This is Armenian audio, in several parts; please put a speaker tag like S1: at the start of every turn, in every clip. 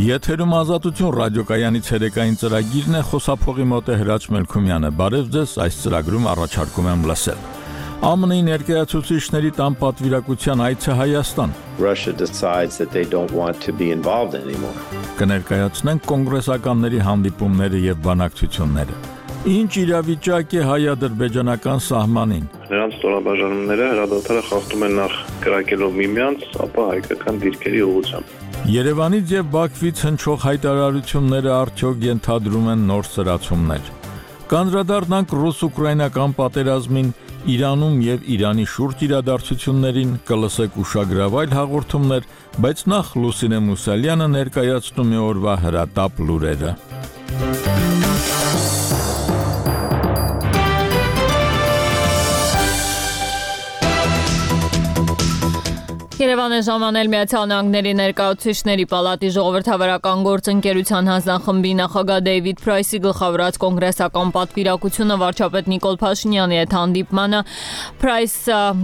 S1: Եթերում ազատություն ռադիոկայանի ցերեկային ծրագիրն է, խոսափողի մոտ է Հրաչ Մելքումյանը։ Բարև ձեզ, այս ծրագրում առաջարկում եմ լսել։ ԱՄՆ-ի ներկայացուցիչների տան պատվիրակության այցը Հայաստան։
S2: Russia decides that they don't want to be involved anymore.
S1: Կներկայացնենք կոնգրեսականների հանդիպումները եւ բանակցությունները։ Ինչ իրավիճակ է հայ-ադրբեջանական սահմանին։
S3: Նրանց ստորաբաժանումները հրադադարը խախտում են նախ կրակելով միմյանց, ապա հայկական դիրքերի ուղղությամբ։
S1: Երևանից եւ Բաքվից հնչող հայտարարությունները արդյոք ենթադրում են նոր սրացումներ։ Կանդրադառնանք ռուս-ուկրաինական պատերազմին, Իրանում եւ Իրանի շուրջ իրադարձություններին, կլսեք ուշագրավայր հաղորդումներ, բայց նախ Լուսինե Մուսալյանը ներկայացնում է օրվա հրատապ լուրերը։
S4: Երևան է ժամանել Միացյալ Նահանգների ներկայացուցիչների պալատի ժողովրդավարական գործընկերության հանձնախմբի նախագահ Դեյվիդ Փրայսի գլխավորած կոնգրեսական պատվիրակությունը վարչապետ Նիկոլ Փաշինյանի հետ հանդիպմանը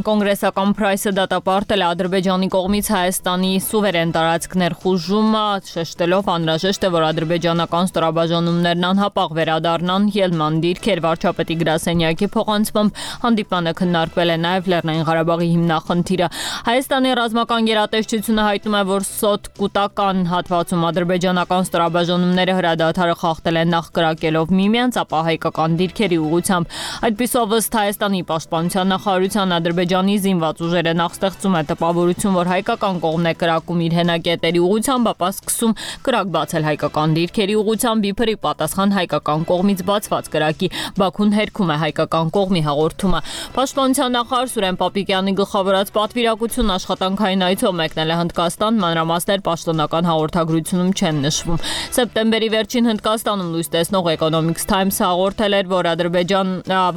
S4: կոնգրեսական Փրայսը դատապարտել է Ադրբեջանի կողմից Հայաստանի սուվերեն տարածքներ խուժումը, շեշտելով անհրաժեշտ է, որ ադրբեջանական ստորաբաժանումներն անհապաղ վերադառնան ելման դիրքեր վարչապետի գրասենյակի փոխանցմամբ հանդիպանը քննարկվել է նաև Լեռնային Ղարաբաղի հիմնախնդիրը։ Հայաստանի ռազմական գերատեսչությունը հայտնում է, որ սոտ կուտական հատվածում ադրբեջանական ստորաբաժանումները հրադադարը խախտել են նախ կրակելով միմյանց, ապա հայկական դիրքերի ուղղությամբ։ Այդպիսով ըստ Հայաստանի պաշտպանության նախարարության Ադրբեջանի զինված ուժերը նախ ստեղծում է տպավորություն, որ հայկական կողմն է կրակում իր հենակետերի ուղղությամբ, ապա սկսում կրակ բացել հայկական դիրքերի ուղղությամբ, իբրի պատասխան հայկական կողմից բացված կրակի։ Բաքուն հերքում է հայկական կողմի հաղորդումը։ Պաշտպանության նախարար Սուրեն Պապիկյանի գլխավորած պատվիրակություն աշխատանքային այցով մեկնել է Հնդկաստան, մանրամասներ պաշտոնական հաղորդագրությունում չեն նշվում։ Սեպտեմբերի վերջին Հնդկաստանում լույս տեսնող Economics Times-ը հաղորդել էր,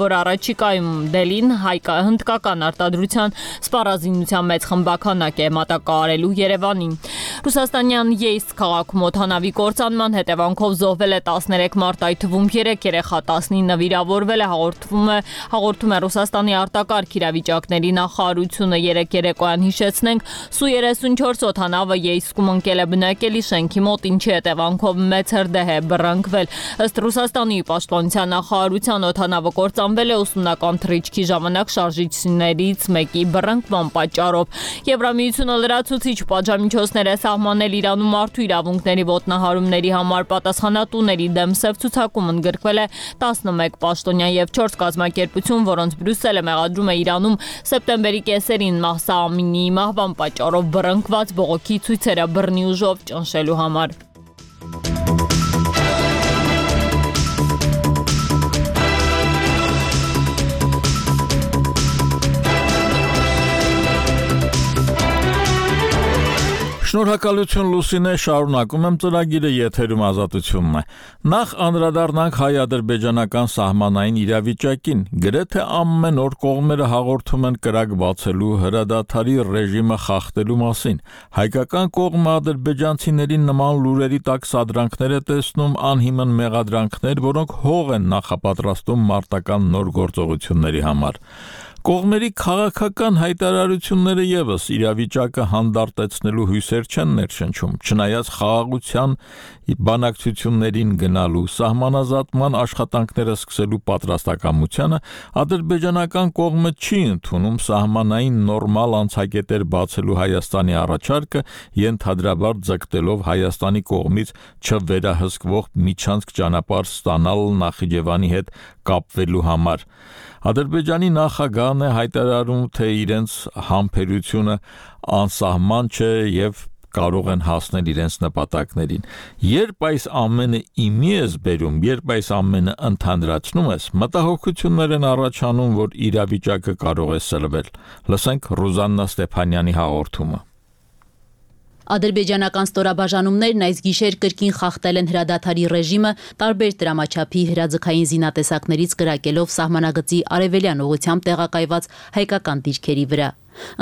S4: որ առաջիկայում Դելին հնդկական արտադրության սպառազինության մեծ խմբականակ է մատակարարելու Երևանին։ Ռուսաստանյան Յեյսկ քաղաքում օդանավի կործանման հետևանքով զոհվել է 13 մարդ, այդ թվում 3 երեխա, 19 վիրավորվել է, հաղորդում է Ռուսաստանի արտակարգ իրավիճակների նախարարությունը։ Երեկոյան հիշեցնենք, Սու-34 օդանավը Յեյսկում ընկել է բնակելի շենքի մոտ, ինչի հետևանքով մեծ հրդեհ է բռնկվել։ Ըստ Ռուսաստանի պաշտպանության նախարարության օդանավը կործանվել է ուսումնական թռիչքի ժամանակ շարժիչներից մեկի բռնկման պատճառով։ Եվրամիությունը լրացուցիչ պատժամիջոցներ է սահմանել Իրանում մարդու իրավունքների ոտնահարումների համար, պատասխանատուների դեմ սև ցուցակում ընդգրկվել է 11 պաշտոնյա եւ 4 կազմակերպություն, որոնց Բրյուսելը մեղադրում է Իրանում սեպտեմբերի կեսերին Մահսա Ամինիի մահվան պատճառով բռնկված բողոքի ցույցերը բռնի ուժով ճնշելու համար։
S1: Շնորհակալություն Լուսինե, շարունակում եմ ծրագիրը, եթերում ազատությունն է։ Նախ անդրադառնանք հայ-ադրբեջանական սահմանային իրավիճակին։ Գրեթե ամեն օր կողմերը հաղորդում են կրակ բացելու, հրադադարի ռեժիմը խախտելու մասին։ Հայկական կողմը ադրբեջանցիներին նման լուրերի տակ սադրանքներ է տեսնում, անհիմն մեղադրանքներ, որոնք հող են նախապատրաստում մարտական նոր գործողությունների համար։ Կողմերի քաղաքական հայտարարությունները եւս իրավիճակը հանդարտեցնելու հույսեր չեն ներշնչում, չնայած խաղաղության բանակցություններին գնալու, սահմանազատման աշխատանքները սկսելու պատրաստակամությանը, ադրբեջանական կողմը չի ընդունում սահմանային նորմալ անցակետեր բացելու Հայաստանի առաջարկը, ենթադրաբար ձգտելով Հայաստանի կողմից չվերահսկվող միջանցք ճանապարհ ստանալ Նախիջևանի հետ կապվելու համար։ Ադրբեջանի նախագահն է հայտարարում, թե իրենց համբերությունը անսահման չէ եւ կարող են հասնել իրենց նպատակներին։ Երբ այս ամենը իմի ես բերում, երբ այս ամենը ընդհանրացնում ես, մտահոգություններ են առաջանում, որ իրավիճակը կարող է սլվել։ Լսենք Ռուզաննա Ստեփանյանի հաղորդումը։
S5: Ադրբեջանական ստորաբաժանումներն այս գիշեր կրկին խախտել են հրադադարի ռեժիմը տարբեր դրամաչափի հրաձգային զինատեսակներից կրակելով սահմանագծի արևելյան ուղղությամբ տեղակայված հայկական դիրքերի վրա։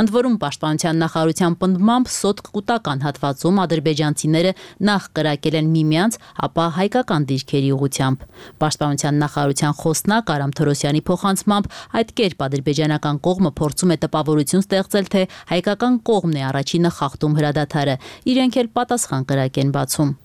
S5: Ընդ որում պաշտպանության նախարարության պնդմամբ սոտ կուտական հատվածում ադրբեջանցիները նախ կրակել են միմյանց, ապա հայկական դիրքերի ուղղությամբ։ Պաշտպանության նախարարության խոսնակ Արամ Թորոսյանի փոխանցմամբ այդ կերպ ադրբեջանական կողմը փորձում է տպավորություն ստեղծել, թե հայկական կողմն է առաջինը խախտում հրադադարը, իրենք էլ պատասխան կրակ են բացում։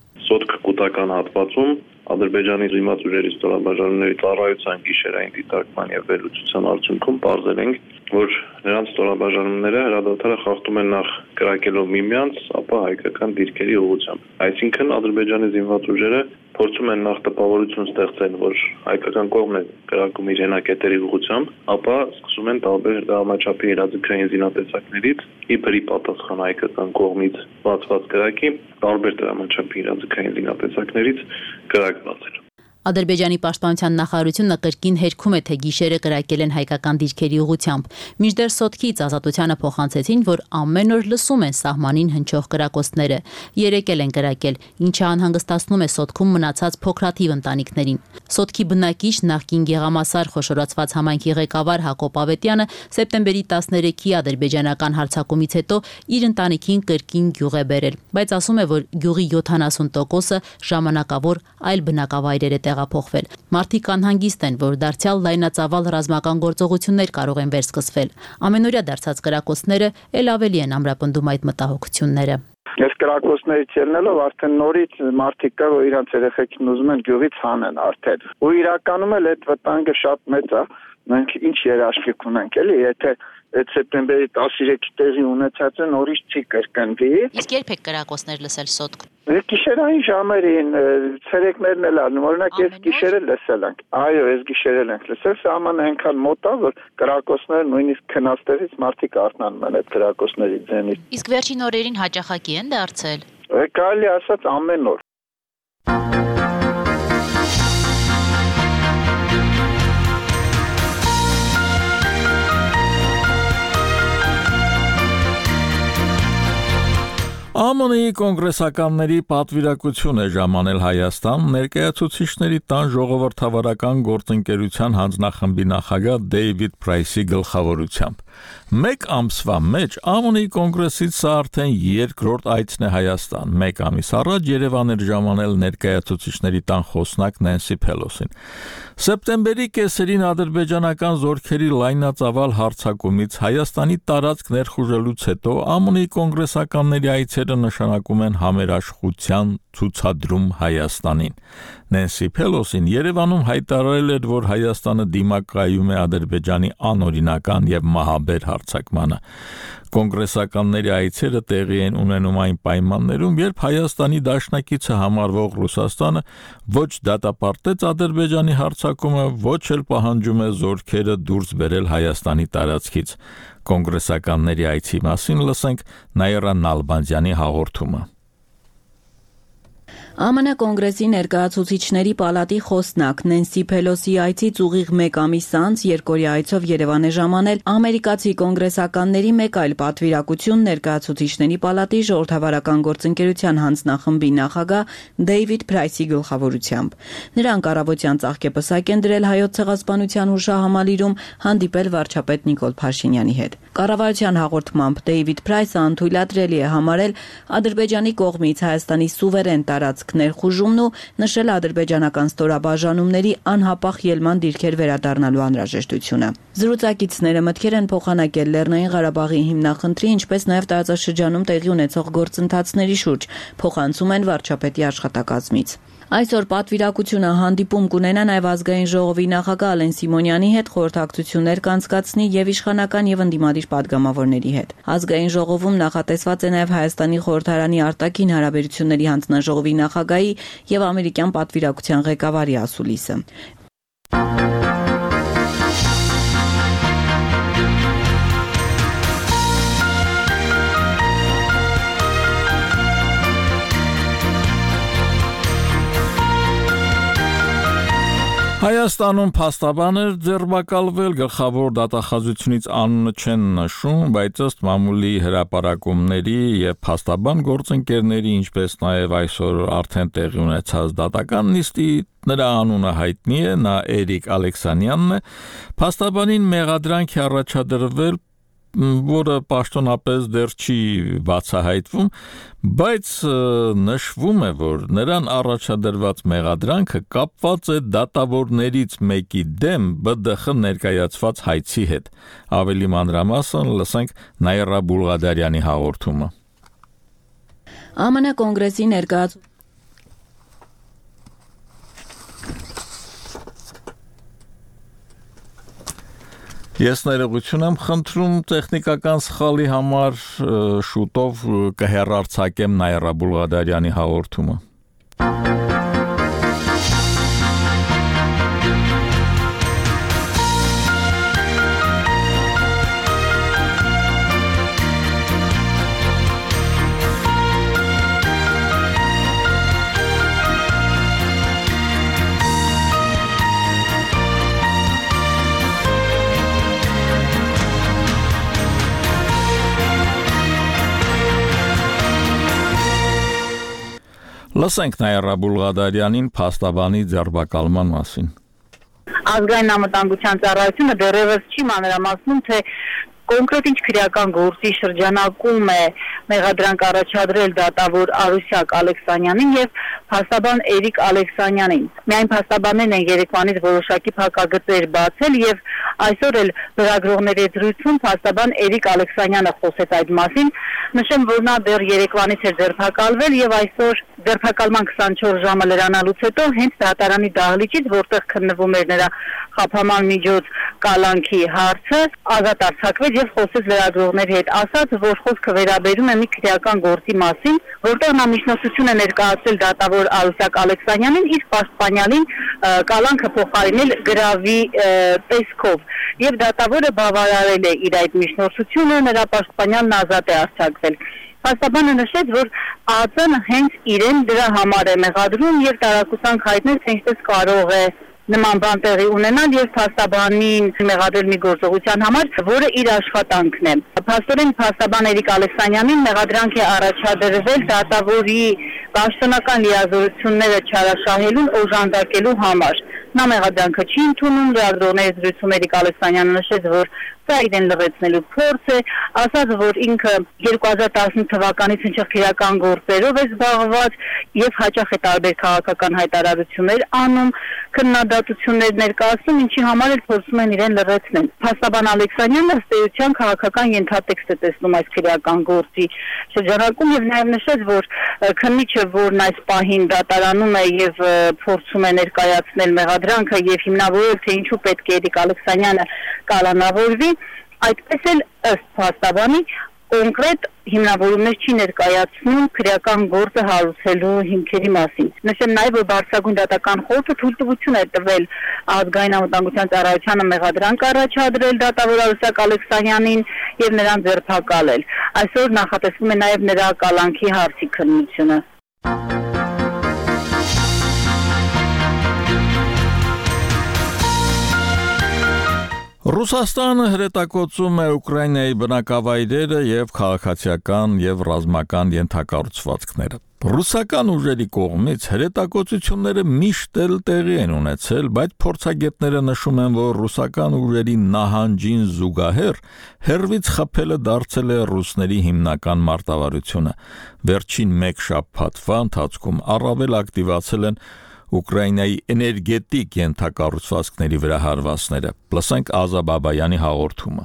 S3: օգուտական հատվածում Ադրբեջանի զինված ուժերի ստորաբաժանումների ծառայության գիշերային դիտարկման եւ վերլուծության արդյունքում պարզել ենք, որ նրանց ստորաբաժանումները հրադադարը խախտում են նախ կրակելով միմյանց, ապա հայկական դիրքերի ուղղությամբ։ Այսինքն Ադրբեջանի զինված ուժերը փորձում են նախ տպավորություն ստեղծել, որ հայկական կողմն է կրակում իր հենակետերի ուղղությամբ, ապա սկսում են տարբեր դրամաչափի իրազեկային զինատեսակներից իբրի պատասխան հայկական կողմից բացված կրակի տարբեր դրամաչափի իրազեկային զինատեսակներից կրակ բացել։
S5: Ադրբեջանի պաշտպանության նախարարությունը կրկին հերքում է, թե գիշերը կրակել են հայկական դիրքերի ուղղությամբ։ Մինչդեռ Սոտքից Ազատությանը փոխանցեցին, որ ամեն օր լսում են սահմանին հնչող կրակոցները։ Երեկել են կրակել, ինչը անհանգստացնում է Սոտքում մնացած փոքրաթիվ ընտանիքներին։ Սոտքի բնակիչ նախկին Գեղամասար խոշորացված համայնքի ղեկավար Հակոբ Ավետյանը սեպտեմբերի 13-ի ադրբեջանական հարձակումից հետո իր ընտանիքին կրկին գյուղ է բերել, բայց ասում է, որ գյուղի 70%-ը ժամանակավոր այլ բնակավայրեր է տեղափոխվել։ Մարդիկ անհանգիստ են, որ դարձյալ լայնածավալ ռազմական գործողություններ կարող են վերսկսվել։ Ամենօրյա դարձած կրակոցները ել ավելի են ամրապնդում այդ մտահոգությունները։
S6: Այս կրակոցներից ելնելով արդեն նորից մարդիկ կա, որ իրանց երեխեքին ուզում են գյուղից հանեն արդեն։ Ու իրականում էլ այդ վտանգը շատ մեծ է։ Մենք ինչ երաշխիք ունենք, էլի, եթե այդ սեպտեմբերի 13-ի տեղի ունեցածը նորից չի կրկնվի։
S5: Իսկ երբ եք կրակոցներ լսել Սոտք։
S6: Գիշերային ժամերին, ցերեկներն էլ անում, օրինակ այս գիշերը լսել ենք։ Այո, այս գիշերել ենք լսել, սահմանը այնքան մոտ է, որ կրակոցները նույնիսկ քնաստեղից մարդիկ արթնանում են այդ կրակոցների ձենից։
S5: Իսկ վերջին օրերին հաճախակի են դարձել։
S6: Կարելի ասած ամեն օր։
S1: ԱՄՆ-ի կոնգրեսականների պատվիրակություն է ժամանել Հայաստան ներկայացուցիչների տան ժողովրդավարական գործընկերության հանձնախմբի նախագահ Դեյվիդ Փրայսի գլխավորությամբ։ Մեկ ամսվա մեջ ԱՄՆ-ի կոնգրեսից սա արդեն երկրորդ այցն է Հայաստան։ Մեկ ամիս առաջ Երևան էր ժամանել ներկայացուցիչների տան խոսնակ Նենսի Փելոսին։ Սեպտեմբերի կեսերին ադրբեջանական զորքերի լայնածավալ հարձակումից Հայաստանի տարածք ներխուժելուց հետո ԱՄՆ-ի կոնգրեսականների այցերը նշանակում են համերաշխության ցուցադրում Հայաստանին։ Նենսի Փելոսին Երևանում հայտարարել էր, որ Հայաստանը դիմակայում է Ադրբեջանի անօրինական եւ մահաբեր հարձակմանը։ Կոնգրեսականների այցերը տեղի են ունենում այն պայմաններում, երբ Հայաստանի դաշնակիցը համարվող Ռուսաստանը ոչ դատապարտեց Ադրբեջանի հարձակումը, ոչ էլ պահանջում է զորքերը դուրս բերել Հայաստանի տարածքից։ Կոնգրեսականների այցի մասին լսենք Նաիրա Նալբանդյանի հաղորդումը։
S7: ԱՄՆ կոնգրեսի ներկայացուցիչների պալատի խոսնակ Նենսի Փելոսի այցից ուղիղ մեկ ամիս անց երկօրյա այցով Երևան է ժամանել ամերիկացի կոնգրեսականների մեկ այլ պատվիրակություն ներկայացուցիչների պալատի ժողովրդավարական գործընկերության հանձնախմբի նախագահ Դեյվիդ Փրայսի գլխավորությամբ։ Նրանք առավոտյան ծաղկեպսակ են դրել Հայոց ցեղասպանության հուշահամալիրում հանդիպել վարչապետ Նիկոլ Փաշինյանի հետ։ Կառավարության հաղորդմամբ Դեյվիդ Փրայսը անթույլատրելի է համարել Ադրբեջանի կողմից Հայաստանի սուվերեն տարածք ներխուժումն ու նշել ադրբեջանական ստորաբաժանումների անհապաղ ելման դիրքեր վերադառնալու անհրաժեշտությունը։ Զրուցակիցները մտքեր են փոխանակել Լեռնային Ղարաբաղի հիմնախնդրի, ինչպես նաև տարածաշրջանում տեղի ունեցող գործընթացների շուրջ, փոխանցում են վարչապետի աշխատակազմից։ Այսօր պատվիրակությունը հանդիպում կունենա նաև ազգային ժողովի նախագահ Ալեն Սիմոնյանի հետ, խորհրդակցություններ կանցկացնի եւ իշխանական եւ ընդդիմադիր падգամավորների հետ։ Ազգային ժողովում նախատեսված է նաև Հայաստանի խորհրդարանի արտաքին հարաբերությունների հանձնաժողովի նախագահի եւ ամերիկյան պատվիրակության ղեկավարի ասուլիսը։
S1: Հայաստանում փաստաբաներ ձերբակալվել գլխավոր դատախազությունից անունը չեն նշում, բայց ըստ մամուլի հրապարակումների եւ փաստաբան գործընկերների, ինչպես նաեւ այսօր արդեն տեղի ունեցած դատական նիստի նրա անունը հայտնի է, նա Էրիկ Ալեքսանյանն է, փաստաբանին մեղադրանք է առաջադրվել, որը պաշտոնապես դեռ չի բացահայտվում, բայց նշվում է, որ նրան առաջադրված մեղադրանքը կապված է դատավորներից մեկի դեմ ԲԴԽ ներկայացված հայցի հետ։ Ավելի մանրամասն լսենք Նաիրա Բուլղադարյանի հաղորդումը։
S7: ԱՄՆ կոնգրեսի
S1: Ես ներողություն եմ խնդրում տեխնիկական սխալի համար, շուտով կհեռարձակեմ Նաիրա Բուլղադարյանի հաղորդումը։ Լսենք Նաիրա Բուլղադարյանին փաստաբանի ձերբակալման մասին։
S8: Ազգային անվտանգության ծառայությունը դեռևս չի մանրամասնում, թե կոնկրետ ինչ քրեական գործի շրջանակում է մեղադրանք առաջադրել դատավոր Արուսյակ Ալեքսանյանին եւ փաստաբան Էրիկ Ալեքսանյանին։ Միայն փաստաբաններն են երեկվանից որոշակի փակագծեր բացել եւ այսօր էլ լրագրողների զրույցում փաստաբան Էրիկ Ալեքսանյանը խոսեց այդ մասին։ Նշեմ, որ նա դեռ երեկվանից է ձերբակալվել եւ այսօր ձերբակալման 24 ժամը լրանալուց հետո հենց դատարանի դահլիճից, որտեղ քննվում էր նրա խաբաման միջոց կալանքի հարցը, ազատ արձակվեց եւ խոսեց լրագրողների հետ, ասաց, որ խոսքը վերաբերում է մի քրեական գործի մասին, որտեղ նա միջնորդություն է ներկայացրել դատավոր Արուսյակ Ալեքսանյանին, իսկ պաշտպանյալին կալանքը փոխարինել գրավի տեսքով եւ դատավորը բավարարել է իր այդ միջնորդությունը, նրա պաշտպանյալն ազատ է արձակվել։ Փաստաբանը նշեց, որ ԱԾ-ն հենց իրեն դրա համար է մեղադրում եւ տարակուսանք հայտնել, թե ինչպես կարող է նման բան տեղի ունենալ եւ փաստաբանին մեղադրել մի գործողության համար, որը իր աշխատանքն է։ Փաստորեն փաստաբան Էրիկ Ալեքսանյանին մեղադրանք է առաջադրվել դատավորի պաշտոնական լիազորությունները չարաշահելուն օժանդակելու համար։ Նա մեղադրանքը չի ընդունում, լրագրողների զրույցում Էրիկ Ալեքսանյանը նշեց, որ սա իրեն լրացնելու փորձ է, ասաց, որ ինքը 2015 թվականից հնչող քրեական գործերով է զբաղված եւ հաճախ է տարբեր քաղաքական հայտարարություններ անում, քննադատություններ ներկայացնում, ինչի համար էլ փորձում են իրեն լրացնել։ Փաստաբան Ալեքսանյանը ըստ էության քաղաքական ենթատեքստ է տեսնում այս քրեական գործի շրջանակում եւ նաեւ նշեց, որ քննիչը, որն այս պահին դատարանում է եւ փորձում է ներկայացնել մեղադրանքը եւ հիմնավորել, թե ինչու պետք է Էրիկ Ալեքսանյանը կալանավորվի, այդպես էլ ըստ փաստաբանի կոնկրետ հիմնավորումներ չի ներկայացնում քրեական գործը հարուցելու հիմքերի մասին։ Նշեմ նաև, որ Բարձրագույն դատական խորհուրդը թույլտվություն է տվել ազգային անվտանգության ծառայությանը մեղադրանք առաջադրել դատավոր Արուսյակ Ալեքսանյանին եւ նրան ձերբակալել։ Այսօր նախատեսվում է նաև նրա կալանքի հարցի քննությունը։
S1: Ռուսաստանը հրետակոծում է Ուկրաինայի բնակավայրերը եւ քաղաքացիական եւ ռազմական ենթակառուցվածքները։ Ռուսական ուժերի կողմից հրետակոծությունները միշտ էլ տեղի են ունեցել, բայց փորձագետները նշում են, որ ռուսական ուժերի նահանջին զուգահեռ հերվից խփելը դարձել է ռուսների հիմնական մարտավարությունը։ Վերջին մեկ շաբաթվա ընթացքում առավել ակտիվացել են Ուկրաինայի էներգետիկ ենթակառուցվածքների վրա հարվածները։ Լսենք Ազա Բաբայանի հաղորդումը։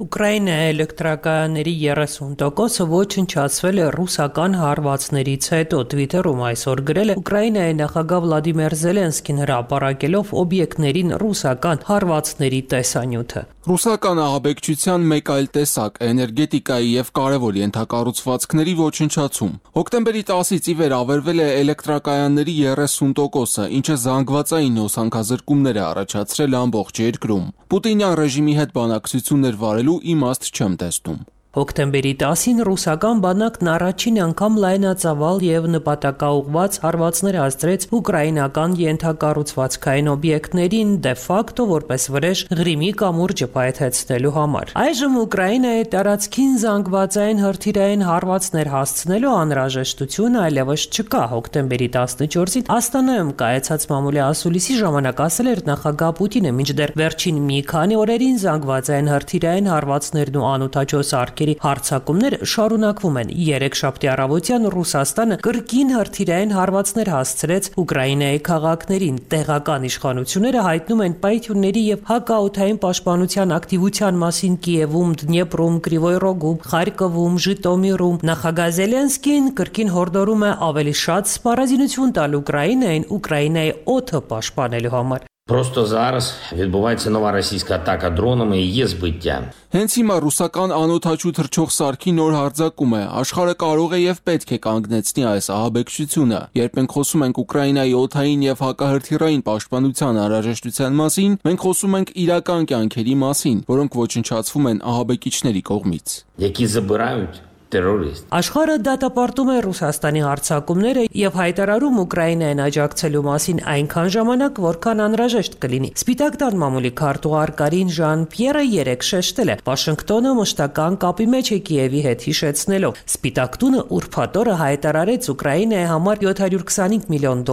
S9: Ուկրաինայի էլեկտրակայանների 30%-ը ոչնչացվել է ռուսական հարվածներից հետո, Twitter-ում այսօր գրել է Ուկրաինայի նախագահ Վլադիմիր Զելենսկին հրապարակելով օբյեկտներին ռուսական հարվածների տեսանյութը։
S10: Ռուսական ահաբեկչության մեկ այլ տեսակ էներգետիկայի եւ կարևոր ենթակառուցվածքների ոչնչացում։ Հոկտեմբերի 10-ից ի վեր ավերվել է էլեկտրակայանների 30%-ը, ինչը զանգվածային հոսանքազրկումներ է առաջացրել ամբողջ երկրում։ Պուտինյան ռեժիմի հետ բանակցություններ վարելու իմաստ չեմ տեսնում։
S9: Հոկտեմբերի 10-ին ռուսական բանակն առաջին անգամ լայնածավալ եւ նպատակաուղղված հարվածներ հասցրեց ուկրաինական ենթակառուցվածքային օբյեկտներին դե ֆակտո որպես վրեժ Ղրիմի կամուրջը պայթեցնելու համար։ Այժմ Ուկրաինայի տարածքին զանգվածային հրթիռային հարվածներ հասցնելու անհրաժեշտություն այլևս չկա։ Հոկտեմբերի 14-ին Աստանայում կայացած մամուլի ասուլիսի ժամանակ ասել էր նախագահ Պուտինը, մինչդեռ վերջին մի քանի օրերին զանգվածային հրթիռային հարվածներն ու անօդաչո սարքերի հարցակումներ շարունակվում են։ Երեքշաբթի առավոտյան Ռուսաստանը կրկին հրթիռային հարվածներ հասցրեց Ուկրաինայի քաղաքներին։ Տեղական իշխանությունները հայտնում են պայթյունների եւ հակաօդային պաշտպանության ակտիվության մասին Կիևում, Դնեպրում, Կրիվոյ Ռոգում, Խարկովում, Ժիտոմիրում։ Նախագահ Զելենսկին կրկին հորդորում է ավելի շատ սպառազինություն տալ Ուկրաինային Ուկրաինայի օդը պաշտպանելու համար։
S11: Просто зараз відбувається нова російська атака дронами і є збиття.
S10: Հենց հիմա ռուսական անօդաչու թռչող սարքի նոր հարձակում է։ Աշխարհը կարող է եւ պետք է կանգնեցնի այս ահաբեկչությունը։ Երբ մենք խոսում ենք Ուկրաինայի օդային եւ հակահրթիռային պաշտպանության անհրաժեշտության մասին, մենք խոսում ենք իրական կյանքերի մասին, որոնք ոչնչացվում են ահաբեկիչների կողմից։
S11: Які забирають терорист.
S9: Աշխարհը դատապարտում է Ռուսաստանի հարձակումները եւ հայտարարում Ուկրաինային աջակցելու մասին այնքան ժամանակ, որքան անհրաժեշտ կլինի։ Սպիտակ տան մամուլի քարտուղար Կարին Ժան-Պիերը երեկ շեշտել է. Վաշինգտոնը մշտական կապի մեջ է Կիևի հետ, հիշեցնելով. Սպիտակ տունը ուրբաթ օրը հայտարարեց Ուկրաինայի համար $725 միլիոն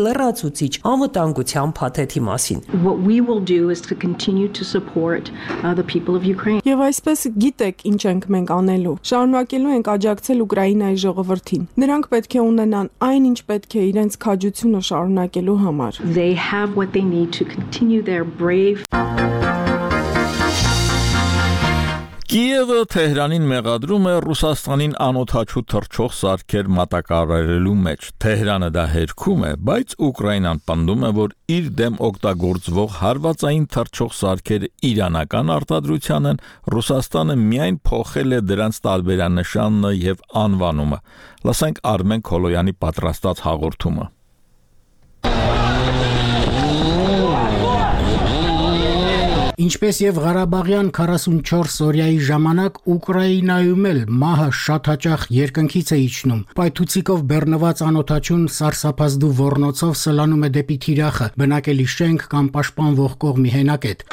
S9: լրացուցիչ անվտանգության փաթեթի մասին։
S12: What we will do is to continue to support the people of Ukraine.
S13: Եվ այսպես գիտեք ինչ ենք մենք անելու։ Շարունակելու ենք աջակցել Ուկրաինայի ժողովրդին։ Նրանք պետք է ունենան այն, ինչ պետք է իրենց քաջությունը շարունակելու համար։
S12: They have what they need to continue their brave.
S1: Կիևը Թեհրանին մեղադրում է Ռուսաստանին անօդաչու թռչող սարքեր մատակարարելու մեջ։ Թեհրանը դա հերքում է, բայց Ուկրաինան պնդում է, որ իր դեմ օգտագործվող հարվածային թռչող սարքերը իրանական արտադրության են, Ռուսաստանը միայն փոխել է դրանց տարբերանշանը եւ անվանումը։ Լսենք Արմեն Քոլոյանի պատրաստած հաղորդումը։
S14: Ինչպես եւ Ղարաբաղյան 44 օրյայի ժամանակ Ուկրաինայում էլ մահը շատ հաճախ երկնքից է իջնում։ Պայթուցիկով բեռնված անօդաչուն սարսափազդու ոռնոցով սլանում է դեպի թիրախը, բնակելի շենք կամ պաշտպանվող կողմի հենակետ։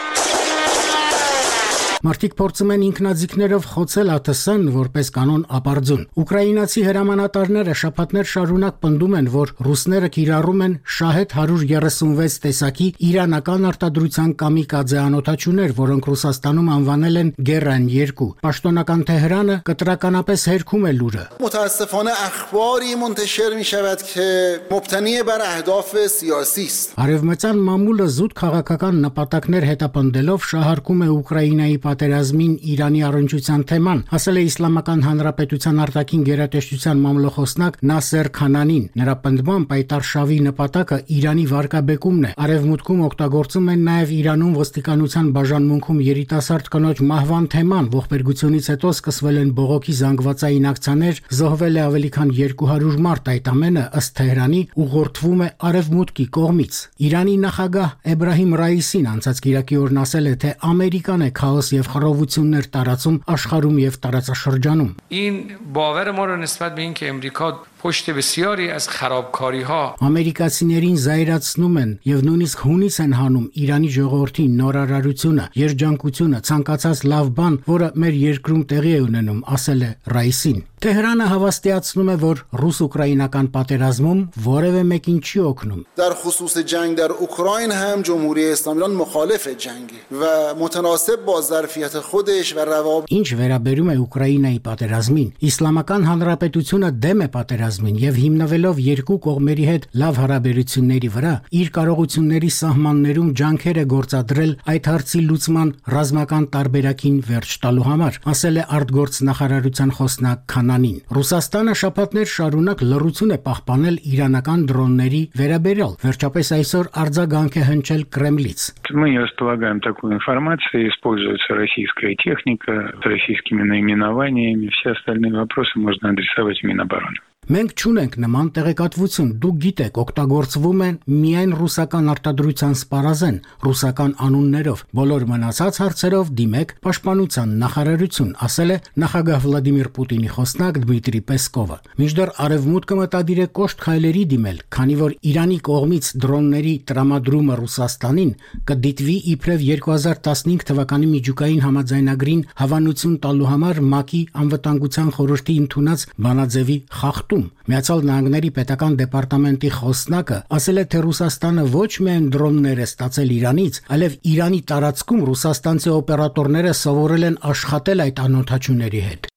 S14: Մարդիկ փորձում են ինքնաձիգներով խոցել ԱԹՍ-ն որպես կանոն ապարդյուն։ Ուկրաինացի հրամանատարները շաբաթներ շարունակ պնդում են, որ ռուսները կիրառում են Շահեդ 136 տեսակի իրանական արտադրության կամիկաձե անօդաչուներ, որոնք Ռուսաստանում անվանել են Գերան 2։ Պաշտոնական Թեհրանը կտրականապես հերքում է լուրը։
S15: متاسفانه اخباری منتشر میشود که مبتنی بر اهداف سیاسی است.
S14: Արևմտյան մամուլը զուտ քաղաքական նպատակներ հետապնդելով շահարկում է Ուկրաինայի պատերազմին Իրանի առնչության թեման, ասել է Իսլամական Հանրապետության արտաքին գերատեսչության մամլոխոսնակ Նասեր Քանանին։ Նրա պնդմամբ պայտարշավի նպատակը Իրանի վարկաբեկումն է։ Արևմուտքում օգտագործում են նաև Իրանում ոստիկանության բաժանմունքում երիտասարդ կնոջ մահվան թեման, ողբերգությունից հետո սկսվել են բողոքի զանգվածային ակցիաներ, զոհվել է ավելի քան 200 մարդ, այդ ամենը ըստ Թեհրանի ուղղորդվում է Արևմուտքի կողմից։ Իրանի նախագահ Էբրահիմ Ռայիսին անցած կիրակի օրն ասել է, թե Ամերիկան է քաոս եւ խռովություններ տարածում աշխարհում եւ տարածաշրջանում։
S16: این باور ما رو نسبت به اینکه امریکا پشت بسیاری از خرابکاری‌ها
S14: Ամերիկացիներին զայրացնում են եւ նույնիսկ հունից են հանում Իրանի ժողովրդի նորարարությունը, երջանկությունը, ցանկացած լավ բան, որը մեր երկրում տեղի է ունենում, ասել է Ռայիսին։ Թեհրանը հավաստիացնում է, որ ռուս-ուկրաինական պատերազմում որևէ մեկին չի օգնում։
S15: در خصوص جنگ در اوکراین هم جمهوری اسلامی ایران مخالف جنگه و متناسب با ظرفیت خودش و روابط
S14: Ինչ վերաբերում է Ուկրաինայի պատերազմին, Իսլամական Հանրապետությունը դեմ է պատերազմին եւ հիմնվելով երկու կողմերի հետ լավ հարաբերությունների վրա, իր կարողությունների սահմաններում ջանքեր է գործադրել այդ հարցի լուծման ռազմական տարբերակին վերջ տալու համար, ասել է արտգործնախարարության խոսնակ Քանանին։ Ռուսաստանը շաբաթներ շարունակ լռություն է պահպանել իրանական դրոնների վերաբերյալ։ Վերջապես այսօր արձագանք է հնչել Կրեմլից։
S17: Мы не располагаем такой информацией, используется российская техника с российскими наименованиями, все остальные вопросы можно адресовать в Минобороны.
S14: Մենք չունենք նման տեղեկատվություն։ Դուք գիտեք, օգտագործվում են միայն ռուսական արտադրության սպառազեն, ռուսական անուններով։ Բոլոր մնացած հարցերով դիմեք Պաշտպանության նախարարություն, ասել է նախագահ Վլադիմիր Պուտինի խոսնակ Դմիտրի Պեսկովը։ Մինչդեռ Արևմուտքը մտադիր է կոշտ քայլերի դիմել, քանի որ Իրանի կողմից դրոնների տրամադրումը Ռուսաստանին կդիտվի իբրև 2015 թվականի միջուկային համաձայնագրին հավանություն տալու համար ՄԱԿ-ի անվտանգության խորհրդի ընդունած բանաձևի խախտում։ Միացյալ Նահանգների պետական դեպարտամենտի խոսնակը ասել է, թե Ռուսաստանը ոչ միայն դրոններ է ստացել Իրանից, այլև Իրանի տարածքում ռուսաստանցի օպերատորները սովորել են աշխատել այդ անօդաչուների հետ։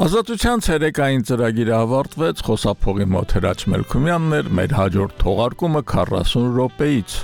S1: Ազատության ցերեկային ծրագիրը ավարտվեց, խոսափողի մոտ Հրաչ Մելքումյանն էր, մեր հաջորդ թողարկումը 40 րոպեից։